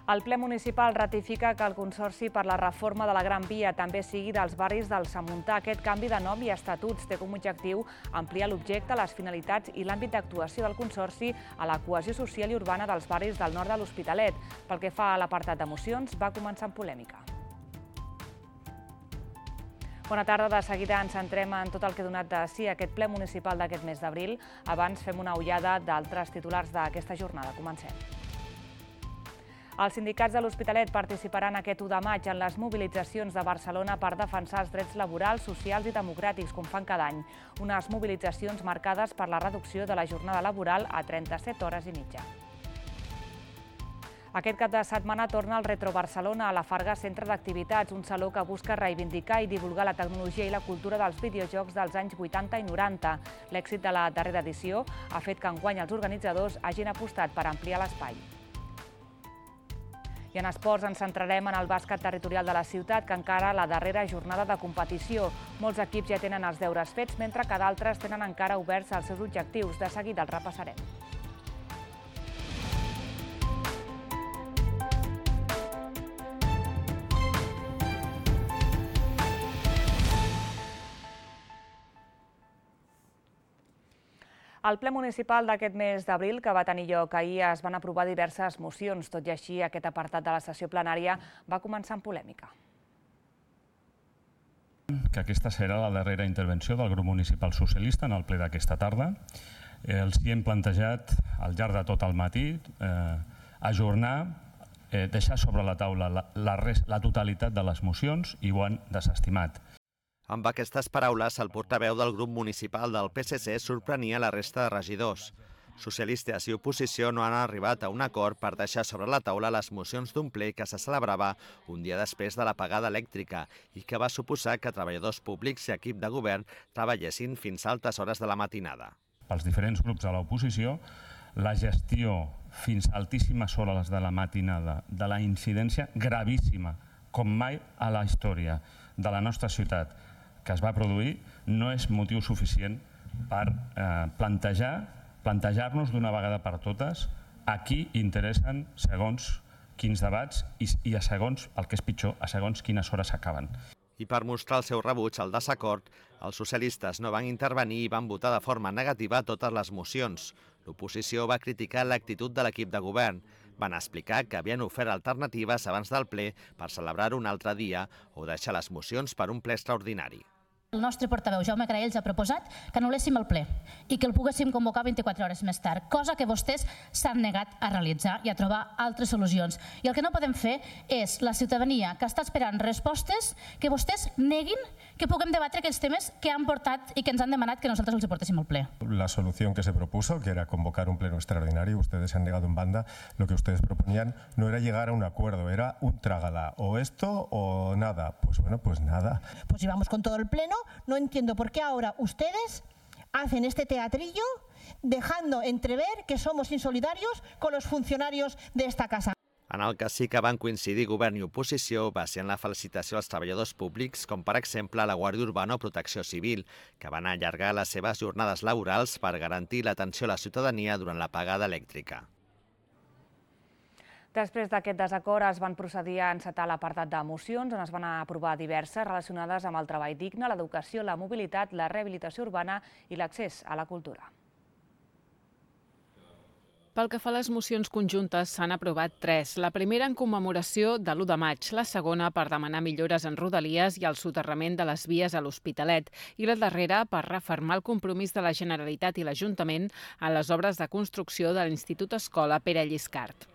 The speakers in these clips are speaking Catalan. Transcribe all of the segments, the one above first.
El ple municipal ratifica que el Consorci per la reforma de la Gran Via també sigui dels barris del Samuntà. Aquest canvi de nom i estatuts té com a objectiu ampliar l'objecte, les finalitats i l'àmbit d'actuació del Consorci a la cohesió social i urbana dels barris del nord de l'Hospitalet. Pel que fa a l'apartat de mocions, va començar amb polèmica. Bona tarda. De seguida ens centrem en tot el que ha donat de si aquest ple municipal d'aquest mes d'abril. Abans fem una ullada d'altres titulars d'aquesta jornada. Comencem. Els sindicats de l'Hospitalet participaran aquest 1 de maig en les mobilitzacions de Barcelona per defensar els drets laborals, socials i democràtics, com fan cada any. Unes mobilitzacions marcades per la reducció de la jornada laboral a 37 hores i mitja. Aquest cap de setmana torna el Retro Barcelona a la Farga Centre d'Activitats, un saló que busca reivindicar i divulgar la tecnologia i la cultura dels videojocs dels anys 80 i 90. L'èxit de la darrera edició ha fet que enguany els organitzadors hagin apostat per ampliar l'espai. I en esports ens centrarem en el bàsquet territorial de la ciutat, que encara la darrera jornada de competició. Molts equips ja tenen els deures fets, mentre que d'altres tenen encara oberts els seus objectius. De seguida els repassarem. Al ple municipal d'aquest mes d'abril, que va tenir lloc ahir, es van aprovar diverses mocions. Tot i així, aquest apartat de la sessió plenària va començar amb polèmica. Que aquesta serà la darrera intervenció del grup municipal socialista en el ple d'aquesta tarda. Els hi hem plantejat al llarg de tot el matí ajornar, deixar sobre la taula la totalitat de les mocions i ho han desestimat. Amb aquestes paraules, el portaveu del grup municipal del PSC sorprenia la resta de regidors. Socialistes i oposició no han arribat a un acord per deixar sobre la taula les mocions d'un ple que se celebrava un dia després de l'apagada elèctrica i que va suposar que treballadors públics i equip de govern treballessin fins a altes hores de la matinada. Pels diferents grups de l'oposició, la gestió fins a altíssimes hores de la matinada de la incidència gravíssima, com mai a la història de la nostra ciutat, que es va produir, no és motiu suficient per plantejar-nos d'una vegada per totes a qui interessen segons quins debats i a segons, el que és pitjor, a segons quines hores s'acaben. I per mostrar el seu rebuig al desacord, els socialistes no van intervenir i van votar de forma negativa totes les mocions. L'oposició va criticar l'actitud de l'equip de govern. Van explicar que havien ofert alternatives abans del ple per celebrar-ho un altre dia o deixar les mocions per un ple extraordinari. El nostre portaveu, Jaume Caraells, ha proposat que anul·léssim el ple i que el poguéssim convocar 24 hores més tard, cosa que vostès s'han negat a realitzar i a trobar altres solucions. I el que no podem fer és la ciutadania que està esperant respostes que vostès neguin que puguem debatre aquells temes que han portat i que ens han demanat que nosaltres els portéssim al ple. La solución que se propuso, que era convocar un pleno extraordinario, ustedes se han negado en banda. Lo que ustedes proponían no era llegar a un acuerdo, era un trágala, o esto o nada. Pues bueno, pues nada. Pues si vamos con todo el pleno, no entiendo por qué ahora ustedes hacen este teatrillo dejando entrever que somos insolidarios con los funcionarios de esta casa. En el que sí que van coincidir govern i oposició va ser en la felicitació als treballadors públics, com per exemple la Guàrdia Urbana o Protecció Civil, que van allargar les seves jornades laborals per garantir l'atenció a la ciutadania durant l'apagada elèctrica. Després d'aquest desacord es van procedir a encetar l'apartat de mocions, on es van aprovar diverses relacionades amb el treball digne, l'educació, la mobilitat, la rehabilitació urbana i l'accés a la cultura. Pel que fa a les mocions conjuntes, s'han aprovat 3. La primera en commemoració de l'1 de maig, la segona per demanar millores en rodalies i el soterrament de les vies a l'Hospitalet i la darrera per refermar el compromís de la Generalitat i l'Ajuntament en les obres de construcció de l'Institut Escola Pere Lliscart.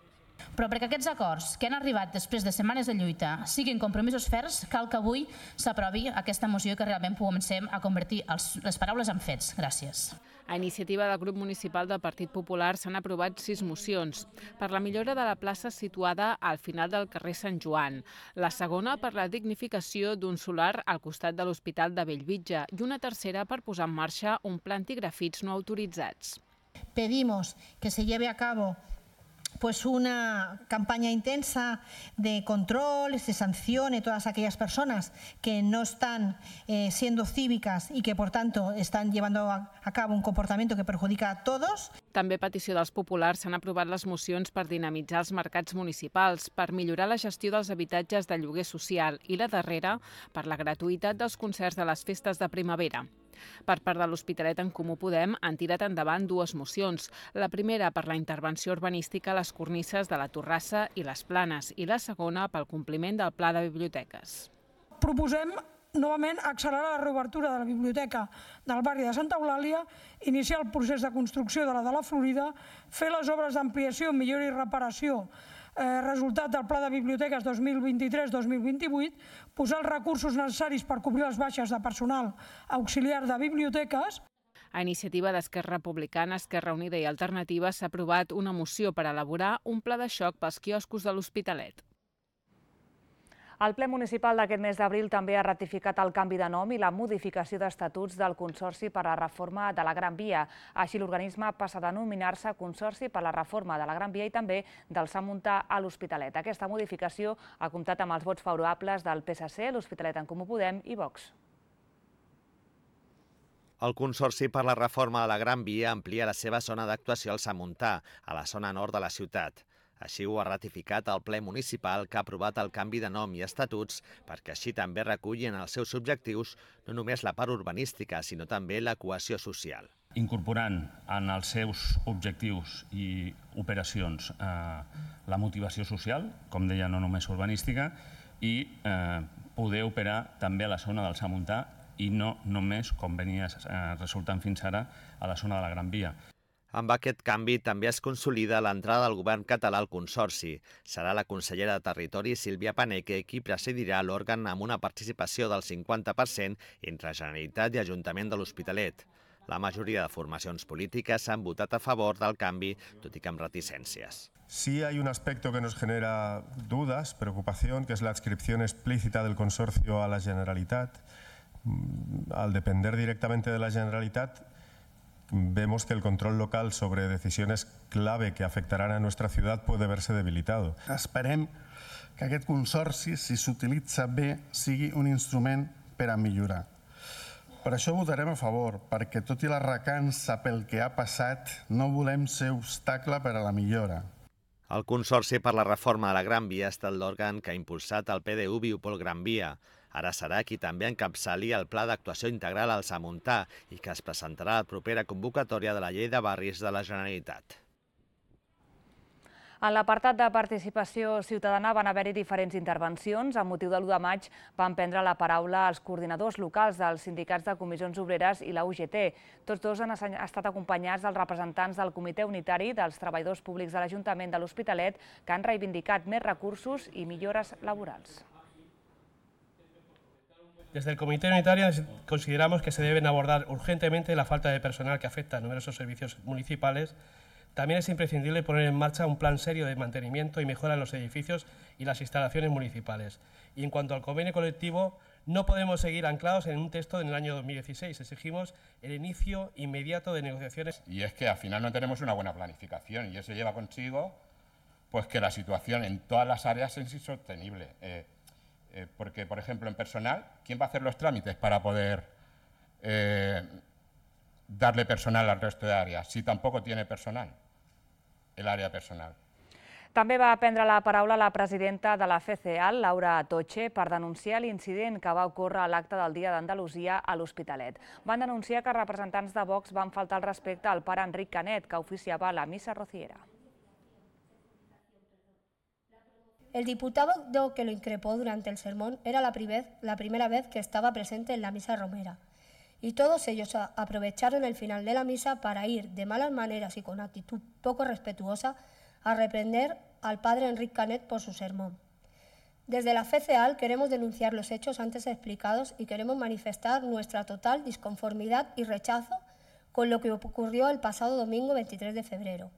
Però perquè aquests acords que han arribat després de setmanes de lluita siguin compromisos ferms, cal que avui s'aprovi aquesta moció i que realment comencem a convertir les paraules en fets. Gràcies. A iniciativa del grup municipal del Partit Popular s'han aprovat 6 mocions. Per la millora de la plaça situada al final del carrer Sant Joan. La segona per la dignificació d'un solar al costat de l'Hospital de Bellvitge i una tercera per posar en marxa un pla antigrafits no autoritzats. Pedimos que se lleve a cabo pues una campaña intensa de control, de sanción a todas aquellas personas que no están siendo cívicas y que, por tanto, están llevando a cabo un comportamiento que perjudica a todos. També a petició dels populars s'han aprovat les mocions per dinamitzar els mercats municipals, per millorar la gestió dels habitatges de lloguer social i la darrera per la gratuïtat dels concerts de les festes de primavera. Per part de l'Hospitalet en Comú Podem han tirat endavant dues mocions. La primera per la intervenció urbanística a les cornisses de la Torrassa i les Planes i la segona pel compliment del Pla de Biblioteques. Proposem novament accelerar la reobertura de la biblioteca del barri de Santa Eulàlia, iniciar el procés de construcció de la Florida, fer les obres d'ampliació, millora i reparació resultat del Pla de Biblioteques 2023-2028, posar els recursos necessaris per cobrir les baixes de personal auxiliar de biblioteques. A iniciativa d'Esquerra Republicana, Esquerra Unida i Alternativa s'ha aprovat una moció per elaborar un pla de xoc pels quioscos de l'Hospitalet. El ple municipal d'aquest mes d'abril també ha ratificat el canvi de nom i la modificació d'estatuts del Consorci per a la Reforma de la Gran Via. Així, l'organisme passa a denominar-se Consorci per a la Reforma de la Gran Via i també del Sant Montà a l'Hospitalet. Aquesta modificació ha comptat amb els vots favorables del PSC, l'Hospitalet en Comú Podem i Vox. El Consorci per la Reforma de la Gran Via amplia la seva zona d'actuació al Sant Montà, a la zona nord de la ciutat. Així ho ha ratificat el ple municipal que ha aprovat el canvi de nom i estatuts perquè així també recullin els seus objectius no només la part urbanística, sinó també la cohesió social. Incorporant en els seus objectius i operacions la motivació social, com deia, no només urbanística, i poder operar també a la zona del Sant Montà i no només, com venia resultant fins ara, a la zona de la Gran Via. Amb aquest canvi també es consolida l'entrada del govern català al Consorci. Serà la consellera de Territori, Sílvia Paneque, qui presidirà l'òrgan amb una participació del 50% entre Generalitat i Ajuntament de l'Hospitalet. La majoria de formacions polítiques han votat a favor del canvi, tot i que amb reticències. Sí hay un aspecto que nos genera dudas, preocupación, que es la adscripción explícita del consorcio a la Generalitat. Al depender directamente de la Generalitat, vemos que el control local sobre decisiones clave que afectarán a nuestra ciudad puede verse debilitado. Esperem que aquest consorci, si s'utilitza bé, sigui un instrument per a millorar. Per això votarem a favor, perquè tot i la recança pel que ha passat, no volem ser obstacle per a la millora. El Consorci per la Reforma de la Gran Via ha estat l'òrgan que ha impulsat el PDU Biopol Gran Via. Ara serà qui també encapçali el Pla d'Actuació Integral al Sant Montà i que es presentarà a la propera convocatòria de la Llei de Barris de la Generalitat. En l'apartat de participació ciutadana van haver-hi diferents intervencions. Amb motiu de l'1 de maig van prendre la paraula els coordinadors locals dels sindicats de comissions obreres i la UGT. Tots dos han estat acompanyats dels representants del Comitè Unitari dels Treballadors Públics de l'Ajuntament de l'Hospitalet, que han reivindicat més recursos i millores laborals. Desde el Comité Unitario consideramos que se deben abordar urgentemente la falta de personal que afecta a numerosos servicios municipales. También es imprescindible poner en marcha un plan serio de mantenimiento y mejora en los edificios y las instalaciones municipales. Y en cuanto al convenio colectivo, no podemos seguir anclados en un texto del año 2016. Exigimos el inicio inmediato de negociaciones. Y es que al final no tenemos una buena planificación y eso lleva consigo pues, que la situación en todas las áreas es insostenible. Porque, por ejemplo, en personal, ¿quién va a hacer los trámites para poder darle personal al resto de áreas si tampoco tiene personal, el área personal? També va prendre la paraula la presidenta de la FCEAL, Laura Atoche, per denunciar l'incident que va ocórrer a l'acte del Dia d'Andalusia a l'Hospitalet. Van denunciar que representants de Vox van faltar al respecte al pare Enric Canet, que oficiava la missa rociera. El diputado que lo increpó durante el sermón era la primera vez que estaba presente en la misa romera. Y todos ellos aprovecharon el final de la misa para ir de malas maneras y con actitud poco respetuosa a reprender al padre Enric Canet por su sermón. Desde la FCEAL queremos denunciar los hechos antes explicados y queremos manifestar nuestra total disconformidad y rechazo con lo que ocurrió el pasado domingo 23 de febrero.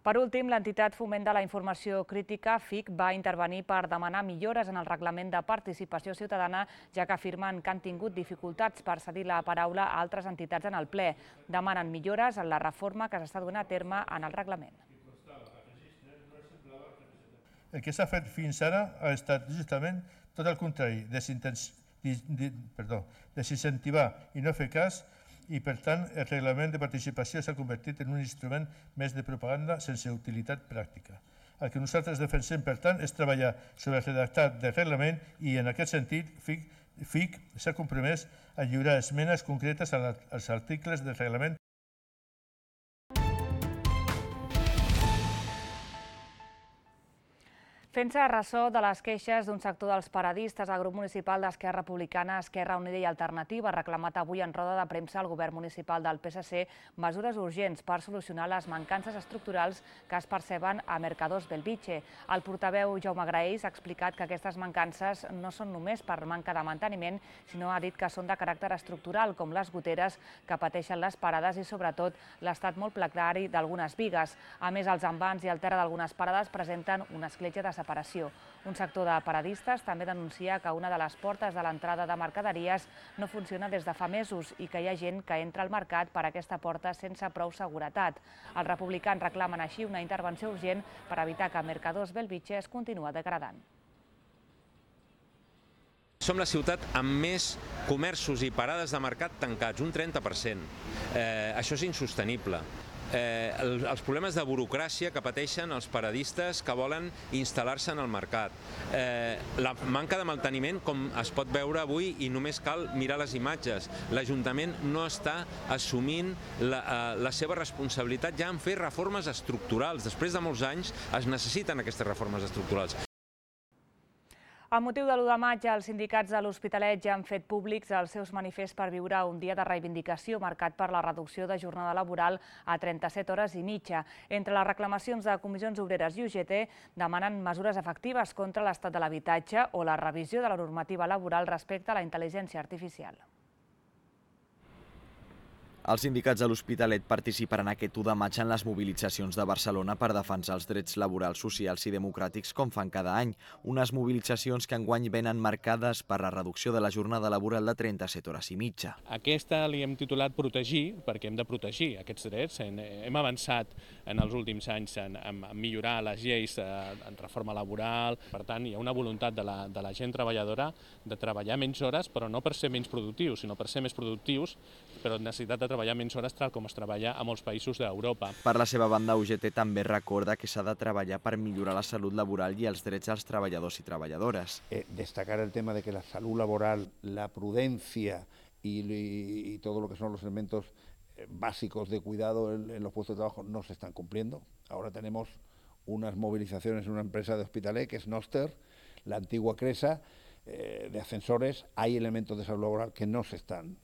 Per últim, l'entitat Foment de la Informació Crítica, FIC, va intervenir per demanar millores en el reglament de participació ciutadana, ja que afirmen que han tingut dificultats per cedir la paraula a altres entitats en el ple. Demanen millores en la reforma que s'està duent a terme en el reglament. El que s'ha fet fins ara ha estat justament tot el contrari, desincentivar i no fer cas, i per tant el reglament de participació s'ha convertit en un instrument més de propaganda sense utilitat pràctica. El que nosaltres defensem, per tant, és treballar sobre el redactat del reglament i en aquest sentit FIC s'ha compromès a lliurar esmenes concretes als articles del reglament. Fent-se ressò de les queixes d'un sector dels paradistes, el grup municipal d'Esquerra Republicana, Esquerra Unida i Alternativa ha reclamat avui en roda de premsa al govern municipal del PSC mesures urgents per solucionar les mancances estructurals que es perceben a Mercadors Belvitge. El portaveu Jaume Graells ha explicat que aquestes mancances no són només per manca de manteniment, sinó ha dit que són de caràcter estructural, com les goteres que pateixen les parades i sobretot l'estat molt precari d'algunes bigues. A més, els envans i el terra d'algunes parades presenten una escletxa de separació. Un sector de paradistes també denuncia que una de les portes de l'entrada de mercaderies no funciona des de fa mesos i que hi ha gent que entra al mercat per aquesta porta sense prou seguretat. Els republicans reclamen així una intervenció urgent per evitar que Mercadors Belvitge es continua degradant. Som la ciutat amb més comerços i parades de mercat tancats, un 30%. Això és insostenible. Els problemes de burocràcia que pateixen els paradistes que volen instal·lar-se en el mercat. La manca de manteniment, com es pot veure avui, i només cal mirar les imatges. L'Ajuntament no està assumint la seva responsabilitat ja en fer reformes estructurals. Després de molts anys es necessiten aquestes reformes estructurals. Amb motiu de l'1 de maig, els sindicats de l'Hospitalet ja han fet públics els seus manifests per viure un dia de reivindicació marcat per la reducció de jornada laboral a 37 hores i mitja. Entre les reclamacions de comissions obreres i UGT demanen mesures efectives contra l'estat de l'habitatge o la revisió de la normativa laboral respecte a la intel·ligència artificial. Els sindicats de l'Hospitalet participaran aquest 1 de maig en les mobilitzacions de Barcelona per defensar els drets laborals, socials i democràtics com fan cada any. Unes mobilitzacions que enguany venen marcades per la reducció de la jornada laboral de 37 hores i mitja. Aquesta li hem titulat Protegir, perquè hem de protegir aquests drets. Hem avançat en els últims anys en millorar les lleis en reforma laboral. Per tant, hi ha una voluntat de la gent treballadora de treballar menys hores, però no per ser menys productius, sinó per ser més productius, però necessitat de treballar menys hores tal com es treballa a molts països d'Europa. Per la seva banda, UGT també recorda que s'ha de treballar per millorar la salut laboral i els drets dels treballadors i treballadores. Destacar el tema de que la salud laboral, la prudencia y todo lo que son los elementos básicos de cuidado en los puestos de trabajo no se están cumpliendo. Ahora tenemos unas movilizaciones en una empresa de Hospitalet, que es Noster, la antigua Cresa, de ascensores. Hay elementos de salud laboral que no se están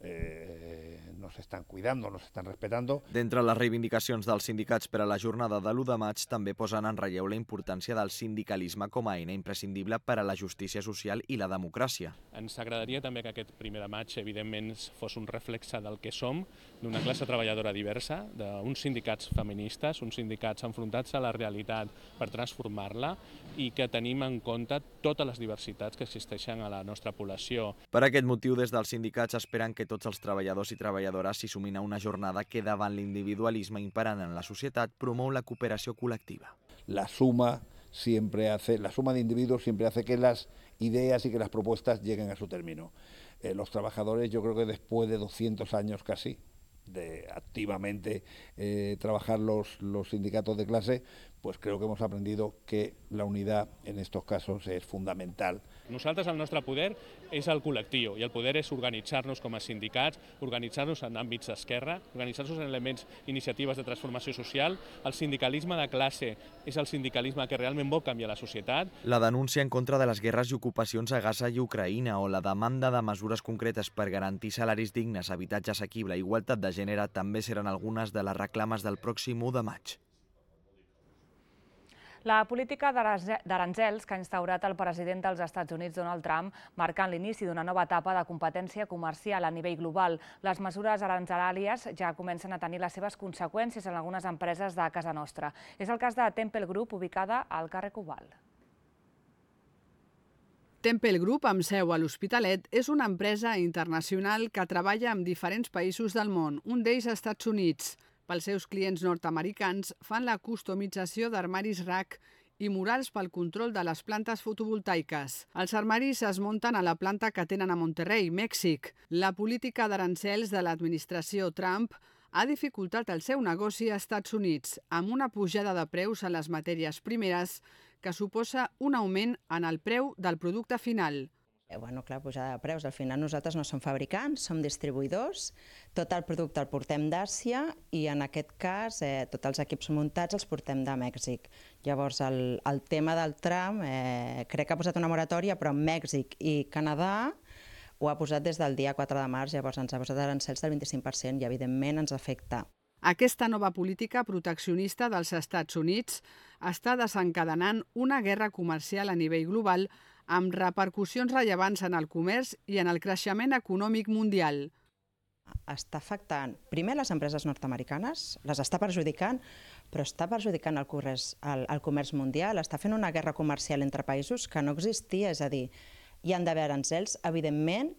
cuidando, no se están respetando. D'entre les reivindicacions dels sindicats per a la jornada de l'1 de maig també posen en relleu la importància del sindicalisme com a eina imprescindible per a la justícia social i la democràcia. Ens agradaria també que aquest 1 de maig, evidentment, fos un reflexe del que som, d'una classe treballadora diversa, d'uns sindicats feministes, uns sindicats enfrontats a la realitat per transformar-la i que tenim en compte totes les diversitats que existeixen a la nostra població. Per aquest motiu, des dels sindicats esperen que tots els treballadors i treballadores s'hi sumin a una jornada que davant l'individualisme imperant en la societat promou la cooperació col·lectiva. La suma de individuos siempre hace que las ideas y que las propuestas lleguen a su término. Los trabajadores, yo creo que después de 200 años casi, de activamente trabajar los sindicatos de clase, pues creo que hemos aprendido que la unidad en estos casos es fundamental. Nosaltres, el nostre poder és el col·lectiu i el poder és organitzar-nos com a sindicats, organitzar-nos en àmbits d'esquerra, organitzar-nos en elements, iniciatives de transformació social. El sindicalisme de classe és el sindicalisme que realment vol canviar la societat. La denúncia en contra de les guerres i ocupacions a Gaza i Ucraïna o la demanda de mesures concretes per garantir salaris dignes, habitatge assequible i igualtat de gènere també seran algunes de les reclames del pròxim 1 de maig. La política d'aranzels que ha instaurat el president dels Estats Units, Donald Trump, marcant l'inici d'una nova etapa de competència comercial a nivell global. Les mesures aranzelàries ja comencen a tenir les seves conseqüències en algunes empreses de casa nostra. És el cas de Temple Group, ubicada al carrer Cobalt. Temple Group, amb seu a l'Hospitalet, és una empresa internacional que treballa amb diferents països del món, un d'ells als Estats Units. Pels seus clients nord-americans fan la customització d'armaris rack i murals pel control de les plantes fotovoltaiques. Els armaris es munten a la planta que tenen a Monterrey, Mèxic. La política d'aranzels de l'administració Trump ha dificultat el seu negoci als Estats Units, amb una pujada de preus a les matèries primeres que suposa un augment en el preu del producte final. Clar, pujada de preus. Al final nosaltres no som fabricants, som distribuïdors. Tot el producte el portem d'Àsia i en aquest cas tots els equips muntats els portem de Mèxic. Llavors el tema del Trump crec que ha posat una moratòria, però Mèxic i Canadà ho ha posat des del dia 4 de març, llavors ens ha posat arancels del 25% i evidentment ens afecta. Aquesta nova política proteccionista dels Estats Units està desencadenant una guerra comercial a nivell global amb repercussions rellevants en el comerç i en el creixement econòmic mundial. Està afectant primer les empreses nord-americanes, les està perjudicant, però està perjudicant el comerç mundial, està fent una guerra comercial entre països que no existia, és a dir, hi han d'haver arancels, evidentment,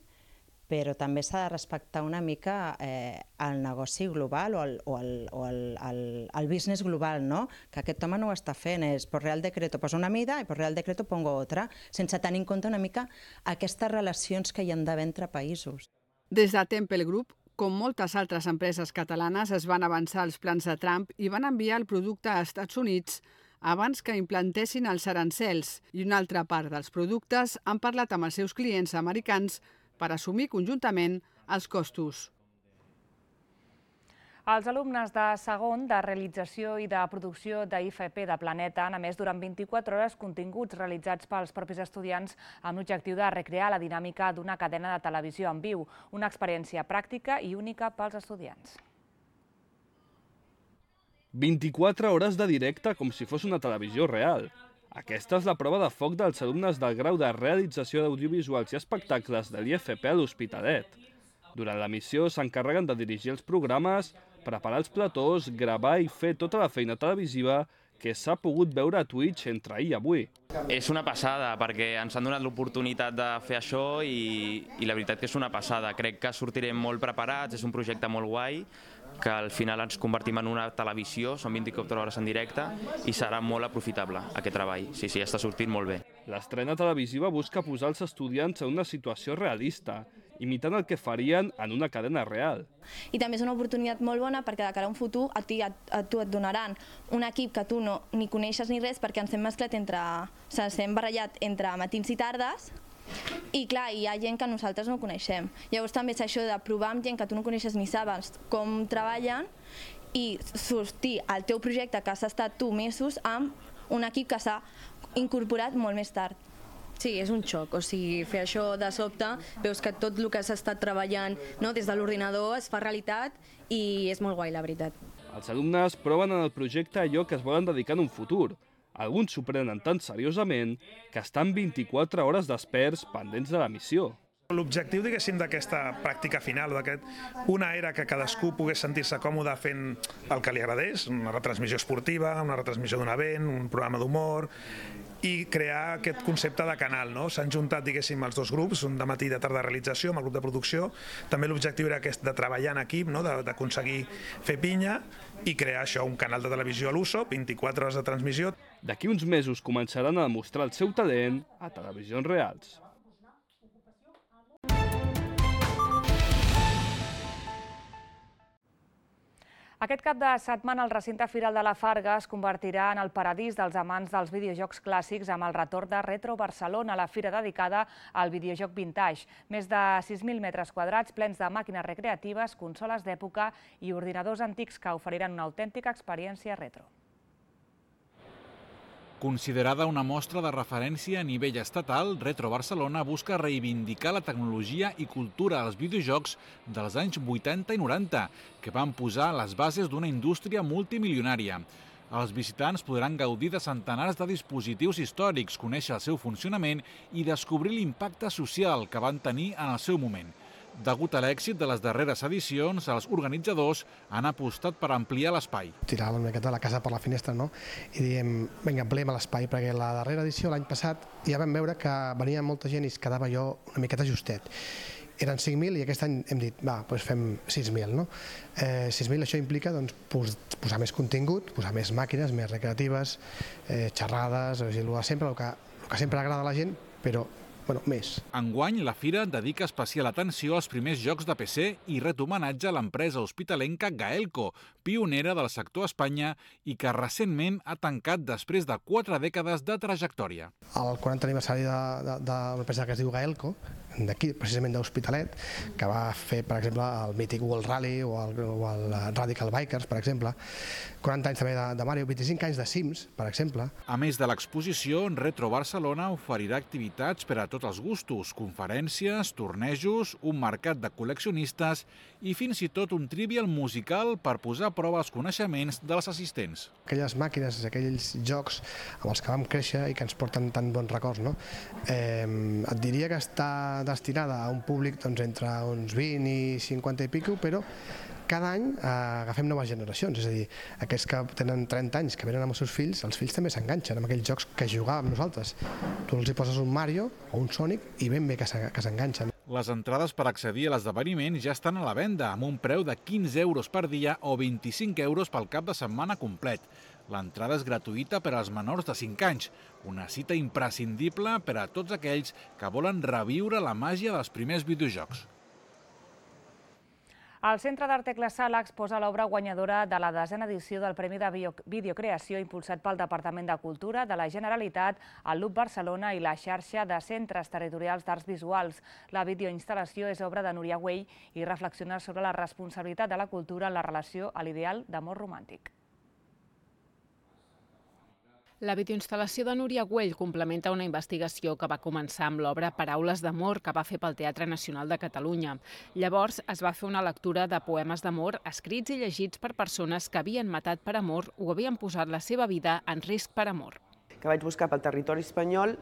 però també s'ha de respectar una mica el negoci global o el business global, no? Que aquest home no ho està fent, és per Real Decreto posa una mida i per Real Decreto pongo otra, sense tenir en compte una mica aquestes relacions que hi ha d'haver entre països. Des de Temple Group, com moltes altres empreses catalanes, es van avançar els plans de Trump i van enviar el producte als Estats Units abans que implantessin els arancels, i una altra part dels productes han parlat amb els seus clients americans per assumir conjuntament els costos. Els alumnes de segon de realització i de producció d'IFP de Planeta han emès durant 24 hores continguts realitzats pels propis estudiants amb l'objectiu de recrear la dinàmica d'una cadena de televisió en viu, una experiència pràctica i única pels estudiants. 24 hores de directe com si fos una televisió real. Aquesta és la prova de foc dels alumnes del grau de realització d'audiovisuals i espectacles de l'IFP a l'Hospitalet. Durant la missió s'encarreguen de dirigir els programes, preparar els platós, gravar i fer tota la feina televisiva que s'ha pogut veure a Twitch entre ahir i avui. És una passada, perquè ens han donat l'oportunitat de fer això i la veritat que és una passada. Crec que sortirem molt preparats, és un projecte molt guai, que al final ens convertim en una televisió, són 24 hores en directe i serà molt aprofitable aquest treball. Sí, està sortint molt bé. L'estrena televisiva busca posar els estudiants en una situació realista, imitant el que farien en una cadena real. I també és una oportunitat molt bona perquè de cara a un futur a tu et donaran un equip que tu no ni coneixes ni res perquè ens hem mesclat ens hem barallat entre matins i tardes. I clar, hi ha gent que nosaltres no coneixem. Llavors també és això de provar amb gent que tu no coneixes ni saps com treballen i sortir al teu projecte que has estat tu mesos amb un equip que s'ha incorporat molt més tard. Sí, és un xoc, o sigui, fer això de sobte, veus que tot el que has estat treballant des de l'ordinador es fa realitat i és molt guai, la veritat. Els alumnes proven en el projecte allò que es volen dedicar en un futur. Alguns s'ho prenen tan seriosament que estan 24 hores desperts pendents de la missió. L'objectiu, diguéssim, d'aquesta pràctica final, una era que cadascú pogués sentir-se còmode fent el que li agradés, una retransmissió esportiva, una retransmissió d'un event, un programa d'humor, i crear aquest concepte de canal. S'han juntat, diguéssim, els dos grups, un de matí i de tarda de realització, amb el grup de producció. També l'objectiu era aquest de treballar en equip, d'aconseguir fer pinya i crear això, un canal de televisió a l'USO, 24 hores de transmissió. D'aquí uns mesos començaran a demostrar el seu talent a televisions reals. Aquest cap de setmana el recinte Firal de la Farga es convertirà en el paradís dels amants dels videojocs clàssics amb el retorn de Retro Barcelona, la fira dedicada al videojoc vintage. Més de 6.000 metres quadrats plens de màquines recreatives, consoles d'època i ordinadors antics que oferiran una autèntica experiència retro. Considerada una mostra de referència a nivell estatal, Retro Barcelona busca reivindicar la tecnologia i cultura dels videojocs dels anys 80 i 90, que van posar les bases d'una indústria multimilionària. Els visitants podran gaudir de centenars de dispositius històrics, conèixer el seu funcionament i descobrir l'impacte social que van tenir en el seu moment. Degut a l'èxit de les darreres edicions, els organitzadors han apostat per ampliar l'espai. Tiràvem una miqueta la casa per la finestra, no? I diem, vinga, ampliem l'espai, perquè la darrera edició, l'any passat, ja vam veure que venia molta gent i es quedava allò una miqueta justet. Eren 5.000 i aquest any hem dit, va, doncs fem 6.000, no? 6.000 això implica posar més contingut, posar més màquines, més recreatives, xerrades, el que sempre agrada a la gent, però més. Enguany, la fira dedica especial atenció als primers jocs de PC i ret homenatge a l'empresa hospitalenca Gaelco, pionera del sector a Espanya i que recentment ha tancat després de 4 dècades de trajectòria. El 40 aniversari d'una empresa que es diu Gaelco, d'aquí, precisament d'Hospitalet, que va fer, per exemple, el mític World Rally o el Radical Bikers, per exemple, 40 anys també de Mario, 25 anys de Sims, per exemple. A més de l'exposició, Retro Barcelona oferirà activitats per a tots els gustos, conferències, tornejos, un mercat de col·leccionistes i fins i tot un trivial musical per posar a prova els coneixements dels assistents. Aquelles màquines, aquells jocs amb els que vam créixer i que ens porten tan bons records, no? Et diria que està destinada a un públic entre uns 20 i 50 i pico, però cada any agafem noves generacions, és a dir, aquells que tenen 30 anys, que venen amb els seus fills, els fills també s'enganxen amb aquells jocs que jugàvem nosaltres. Tu els hi poses un Mario o un Sonic i ben bé que s'enganxen. Les entrades per accedir a l'esdeveniment ja estan a la venda, amb un preu de 15 euros per dia o 25 euros pel cap de setmana complet. L'entrada és gratuïta per als menors de 5 anys, una cita imprescindible per a tots aquells que volen reviure la màgia dels primers videojocs. El Centre d'Art Tecla Sala exposa l'obra guanyadora de la 10a edició del Premi de Videocreació impulsat pel Departament de Cultura de la Generalitat, el LUB Barcelona i la xarxa de centres territorials d'arts visuals. La videoinstal·lació és obra de Núria Güell i reflexiona sobre la responsabilitat de la cultura en la relació a l'ideal d'amor romàntic. La videoinstal·lació de Núria Güell complementa una investigació que va començar amb l'obra Paraules d'amor que va fer pel Teatre Nacional de Catalunya. Llavors es va fer una lectura de poemes d'amor escrits i llegits per persones que havien matat per amor o havien posat la seva vida en risc per amor. Que vaig buscar pel territori espanyol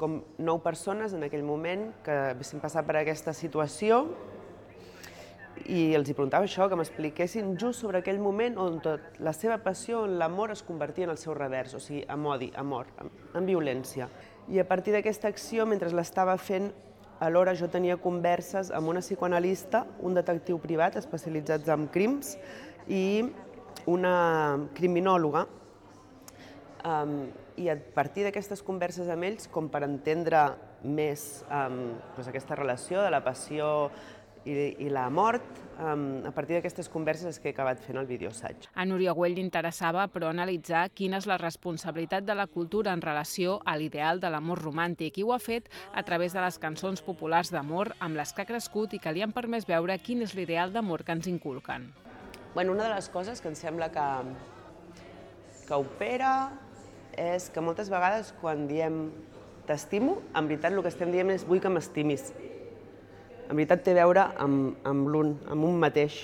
com 9 persones en aquell moment que haguessin passat per aquesta situació i els preguntava això, que m'expliquessin just sobre aquell moment on tot la seva passió, on l'amor es convertia en el seu revers, o sigui, amb odi, amor, amb violència. I a partir d'aquesta acció, mentre l'estava fent, alhora jo tenia converses amb una psicoanalista, un detectiu privat especialitzats en crims i una criminòloga. I a partir d'aquestes converses amb ells, com per entendre més aquesta relació de la passió i la mort, a partir d'aquestes converses és que he acabat fent el videoassaig. A Núria Güell li interessava, però, analitzar quina és la responsabilitat de la cultura en relació a l'ideal de l'amor romàntic, i ho ha fet a través de les cançons populars d'amor amb les que ha crescut i que li han permès veure quin és l'ideal d'amor que ens inculquen. Una de les coses que em sembla que opera és que moltes vegades quan diem t'estimo, en veritat el que estem dient és vull que m'estimis. En veritat té a veure amb l'un, amb un mateix.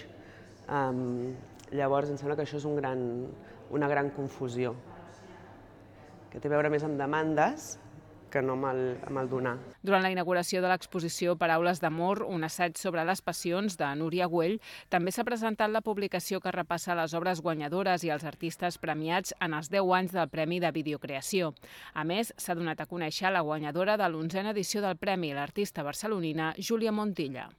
Llavors, em sembla que això és una gran confusió, que té a veure més amb demandes que no amb el donar. Durant la inauguració de l'exposició Paraules d'amor, un assaig sobre les passions de Núria Güell, també s'ha presentat la publicació que repassa les obres guanyadores i els artistes premiats en els 10 anys del Premi de Videocreació. A més, s'ha donat a conèixer la guanyadora de l'11a edició del Premi, l'artista barcelonina Júlia Montilla.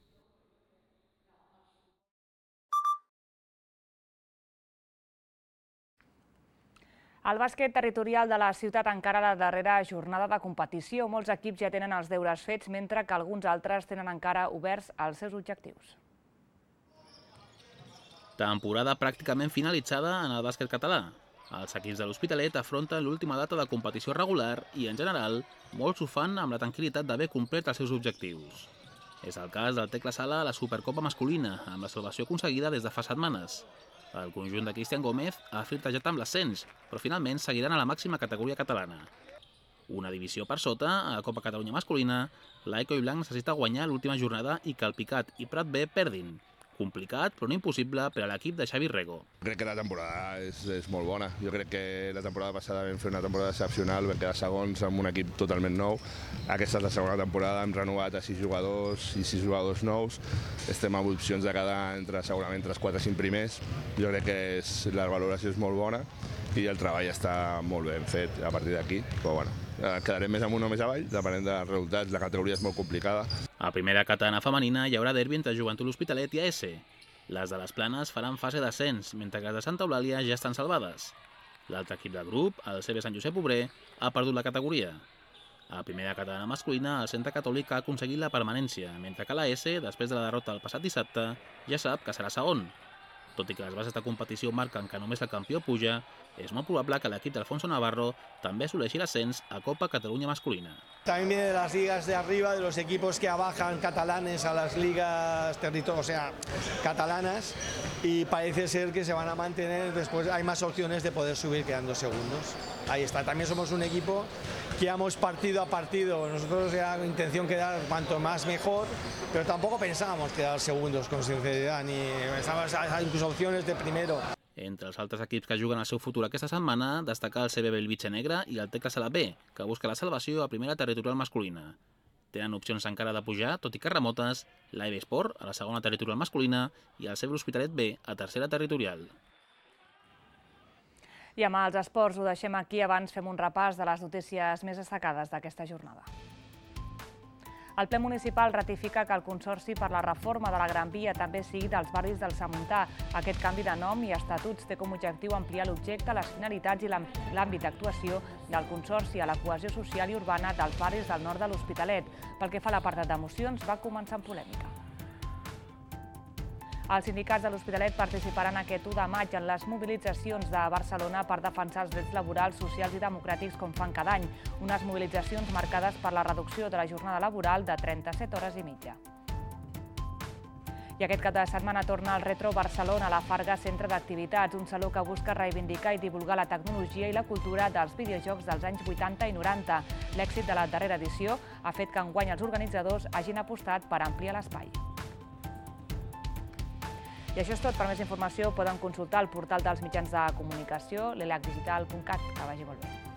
El bàsquet territorial de la ciutat encara a la darrera jornada de competició. Molts equips ja tenen els deures fets, mentre que alguns altres tenen encara oberts els seus objectius. Temporada pràcticament finalitzada en el bàsquet català. Els equips de l'Hospitalet afronten l'última data de competició regular i, en general, molts ho fan amb la tranquil·litat d'haver complert els seus objectius. És el cas del Tecla Sala a la Supercopa masculina, amb la salvació aconseguida des de fa setmanes. El conjunt de Cristian Gómez ha flirtejat amb l'ascens, però finalment seguiran a la màxima categoria catalana. Una divisió per sota, a la Copa Catalunya masculina, l'Aico i Blanc necessita guanyar l'última jornada i que el Picat i Prat B perdin. Complicat, però no impossible per a l'equip de Xavi Rego. Crec que la temporada és molt bona. Jo crec que la temporada passada vam fer una temporada excepcional, vam quedar segons amb un equip totalment nou. Aquesta és la segona temporada, hem renovat a 6 jugadors i 6 jugadors nous. Estem amb opcions de quedar segurament entre els 4 o 5 primers. Jo crec que la valoració és molt bona i el treball està molt ben fet a partir d'aquí, però bueno, quedarem més amunt o més avall, depenent dels resultats. La categoria és molt complicada. A primera catalana femenina hi haurà derbi entre Joventut L'Hospitalet i AS. Les de les Planes faran fase d'ascens, mentre que les de Santa Eulàlia ja estan salvades. L'altre equip del grup, el CB Sant Josep Obrer, ha perdut la categoria. A primera catalana masculina, el Centre Catòlic ha aconseguit la permanència, mentre que l'AS, després de la derrota el passat dissabte, ja sap que serà segon. Tot i que les bases de competició marquen que només el campió puja, es molt probable que l'equip d'Alfonso Navarro també assoleixi l'ascens a Copa Catalunya masculina. También viene de las ligas de arriba, de los equipos que abajan catalanes a las ligas catalanas, y parece ser que se van a mantener, después hay más opciones de poder subir quedando segundos. Ahí está, también somos un equipo que vamos partido a partido, nosotros era la intención quedar cuanto más mejor, pero tampoco pensábamos quedar segundos con sinceridad, ni pensábamos incluso opciones de primero. Entre els altres equips que juguen el seu futur aquesta setmana, destacar el CB Bellvitge Negre i el Tecla Sala B, que busca la salvació a primera territorial masculina. Tenen opcions encara de pujar, tot i que remotes, l'AEB Sport a la segona territorial masculina i el CB L'Hospitalet B a tercera territorial. I amb els esports ho deixem aquí, abans fem un repàs de les notícies més destacades d'aquesta jornada. El ple municipal ratifica que el Consorci per la reforma de la Gran Via també sigui dels barris del Samuntà. Aquest canvi de nom i estatuts té com a objectiu ampliar l'objecte, les finalitats i l'àmbit d'actuació del Consorci a la cohesió social i urbana dels barris del nord de l'Hospitalet. Pel que fa a l'apartat de mocions, va començar amb polèmica. Els sindicats de l'Hospitalet participaran aquest 1 de maig en les mobilitzacions de Barcelona per defensar els drets laborals, socials i democràtics com fan cada any. Unes mobilitzacions marcades per la reducció de la jornada laboral de 37 hores i mitja. I aquest cap de setmana torna al Retro Barcelona, a la Farga Centre d'Activitats, un saló que busca reivindicar i divulgar la tecnologia i la cultura dels videojocs dels anys 80 i 90. L'èxit de la darrera edició ha fet que enguany els organitzadors hagin apostat per ampliar l'espai. I això és tot. Per més informació poden consultar el portal dels mitjans de comunicació, l'elacdigital.cat. Que vagi molt bé.